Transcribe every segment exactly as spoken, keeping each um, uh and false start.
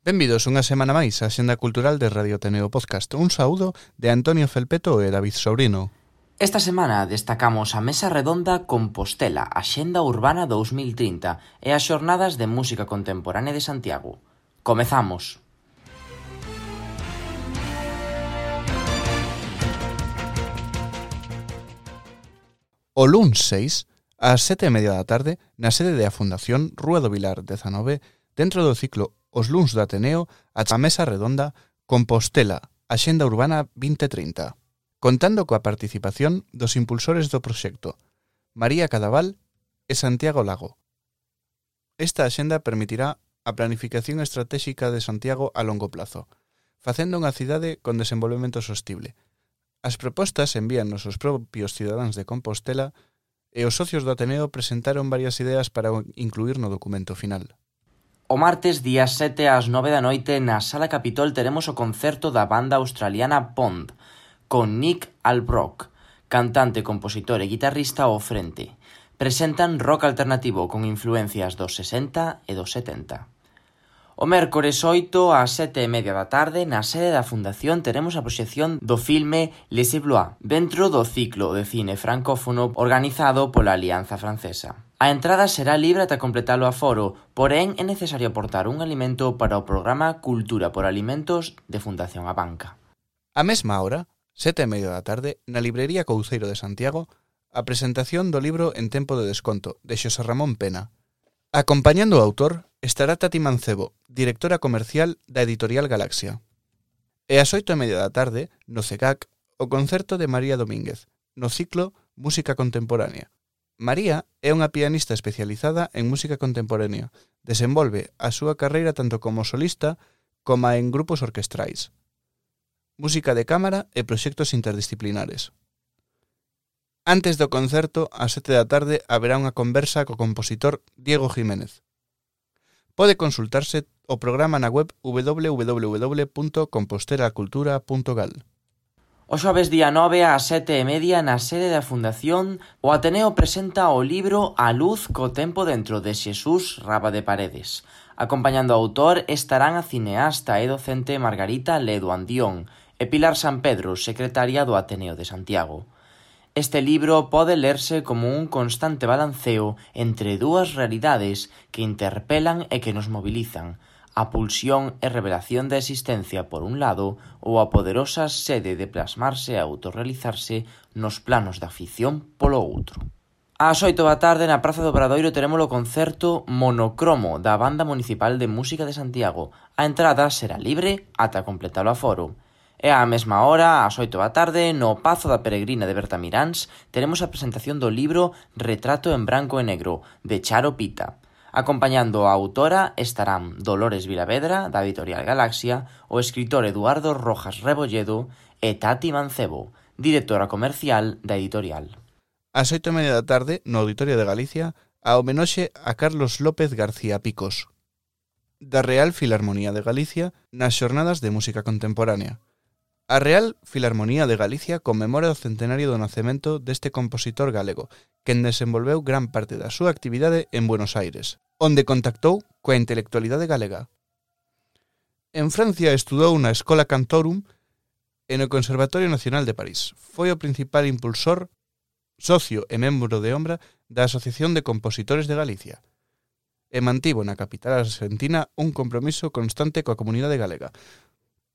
Benvidos unha semana máis á Axenda Cultural de Radio Ateneo Podcast. Un saúdo de Antonio Felpeto e David Sobrino. Esta semana destacamos a Mesa Redonda Compostela, Axenda Urbana dous mil trinta e as Xornadas de Música Contemporánea de Santiago. Comezamos! O luns seis, ás sete e media da tarde, na sede da Fundación Rúa do Vilar dezanove, dentro do ciclo Os luns do Ateneo, a Mesa Redonda Compostela, Axenda Urbana vinte trinta, contando coa participación dos impulsores do proxecto, María Cadaval e Santiago Lago. Esta axenda permitirá a planificación estratégica de Santiago a longo plazo, facendo unha cidade con desenvolvemento sostible. As propostas envíanos os propios cidadáns de Compostela e os socios do Ateneo presentaron varias ideas para incluir no documento final. O martes, día sete ás nove da noite, na Sala Capitol teremos o concerto da banda australiana Pond, con Nick Albrook, cantante, compositor e guitarrista ao frente. Presentan rock alternativo con influencias dos sesenta e dos setenta. O mércores oito ás sete e media da tarde, na sede da Fundación, teremos a proxección do filme Les Blois, dentro do ciclo de cine francófono organizado pola Alianza Francesa. A entrada será libre ata completar o aforo, porén é necesario aportar un alimento para o programa Cultura por Alimentos de Fundación A Banca. A mesma hora, sete e media da tarde, na librería Couceiro de Santiago, a presentación do libro En tempo de desconto, de Xosé Ramón Pena. Acompañando o autor estará Tati Mancebo, directora comercial da editorial Galaxia. E ás oito e media da tarde, no C E C A C, o concerto de María Domínguez, no ciclo Música Contemporánea. María é unha pianista especializada en música contemporánea. Desenvolve a súa carreira tanto como solista como en grupos orquestrais, música de cámara e proxectos interdisciplinares. Antes do concerto, ás sete da tarde, haberá unha conversa co compositor Diego Jiménez. Pode consultarse o programa na web w w w punto compostelacultura punto gal. O xoves día nove ás sete e media, na sede da Fundación, o Ateneo presenta o libro A luz co tempo dentro, de Xesús Raba de Paredes. Acompañando ao autor estarán a cineasta e docente Margarita Ledo Andión e Pilar San Pedro, secretaria do Ateneo de Santiago. Este libro pode lerse como un constante balanceo entre dúas realidades que interpelan e que nos mobilizan, a pulsión e revelación da existencia por un lado ou a poderosa sede de plasmarse e autorrealizarse nos planos da ficción polo outro. Ás oito da tarde, na Praza do Obradoiro, teremos o concerto Monocromo da Banda Municipal de Música de Santiago. A entrada será libre ata completar o aforo. E á mesma hora, ás oito da tarde, no Pazo da Peregrina de Bertamiráns, teremos a presentación do libro Retrato en branco e negro, de Charo Pita. Acompañando a autora estarán Dolores Vilavedra, da editorial Galaxia, o escritor Eduardo Rojas Rebolledo e Tati Mancebo, directora comercial da editorial. Ás oito e media da tarde, no Auditorio de Galicia, a homenaxe a Carlos López García Picos, da Real Filarmonía de Galicia, nas Xornadas de Música Contemporánea. A Real Filarmonía de Galicia conmemora o centenario do nacemento deste compositor galego, quen desenvolveu gran parte da súa actividade en Buenos Aires, onde contactou coa intelectualidade galega. En Francia estudou na Escola Cantorum e no Conservatorio Nacional de París. Foi o principal impulsor, socio e membro de ombra da Asociación de Compositores de Galicia, e mantivo na capital argentina un compromiso constante coa comunidade galega.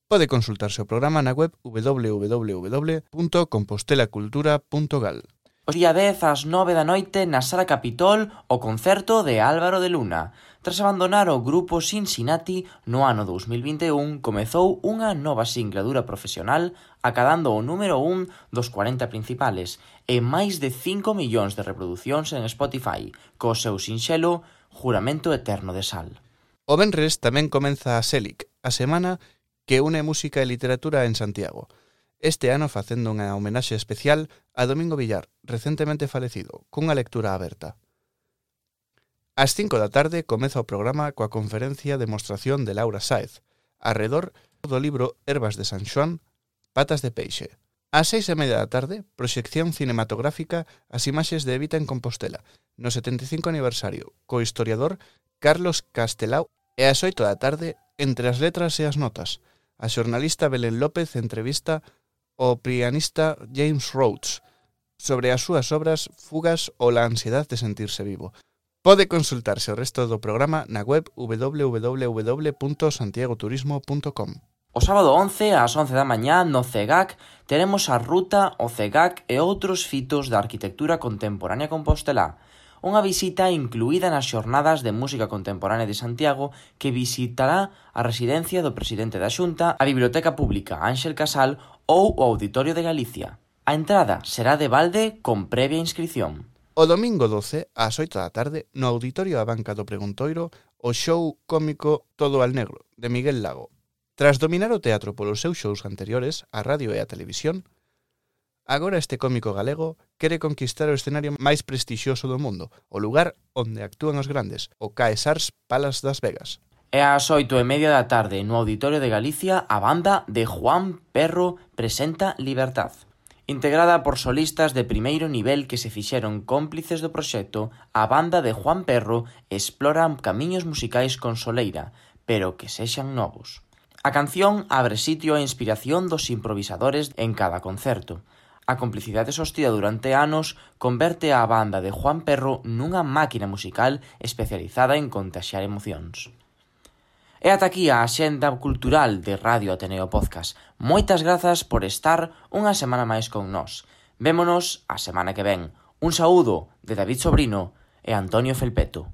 Pode consultarse o programa na web w w w punto compostelacultura punto gal. O día dez ás nove da noite, na Sala Capitol, o concerto de Álvaro de Luna. Tras abandonar o grupo Cincinnati, no ano dous mil vinte e un, comezou unha nova singladura profesional, acadando o número un dos corenta principales e máis de cinco millóns de reproducións en Spotify, co seu sinxelo Juramento Eterno de Sal. O venres tamén comeza a Selic, a semana que une música e literatura en Santiago. Este ano facendo unha homenaxe especial a Domingo Villar, recentemente falecido, cunha lectura aberta. Ás cinco da tarde comeza o programa coa conferencia de demostración de Laura Sáez, arredor do libro Herbas de San Xoán, Patas de Peixe. Ás seis e media da tarde, proxección cinematográfica As imaxes de Evita en Compostela, no setenta e cinco aniversario, co historiador Carlos Castelao, e ás oito da tarde, Entre as letras e as notas, a xornalista Belén López entrevista o pianista James Rhodes sobre as súas obras Fugas ou la ansiedad de sentirse vivo. Pode consultarse o resto do programa na web w w w punto santiago turismo punto com. O sábado once, ás once da mañá, no C E G A C, teremos a ruta o C E G A C e outros fitos da arquitectura contemporánea compostelá, unha visita incluída nas xornadas de música contemporánea de Santiago que visitará a residencia do presidente da Xunta, a Biblioteca Pública Ángel Casal ou o Auditorio de Galicia. A entrada será de balde con previa inscrición. O domingo doce, ás oito da tarde, no Auditorio A Banca do Preguntoiro, o show cómico Todo al Negro, de Miguel Lago. Tras dominar o teatro polos seus shows anteriores, a radio e a televisión, agora este cómico galego quere conquistar o escenario máis prestixioso do mundo, o lugar onde actúan os grandes, o Caesars Palace das Vegas. E ás oito e media da tarde, no Auditorio de Galicia, a banda de Juan Perro presenta Libertad. Integrada por solistas de primeiro nivel que se fixeron cómplices do proxecto, a banda de Juan Perro explora camiños musicais con soleira, pero que sexan novos. A canción abre sitio á inspiración dos improvisadores en cada concerto. A complicidade sostida durante anos converte a banda de Juan Perro nunha máquina musical especializada en contaxiar emocións. E ata aquí a axenda cultural de Radio Ateneo Podcast. Moitas grazas por estar unha semana máis con nós. Vémonos a semana que ven. Un saúdo de David Sobrino e Antonio Felpeto.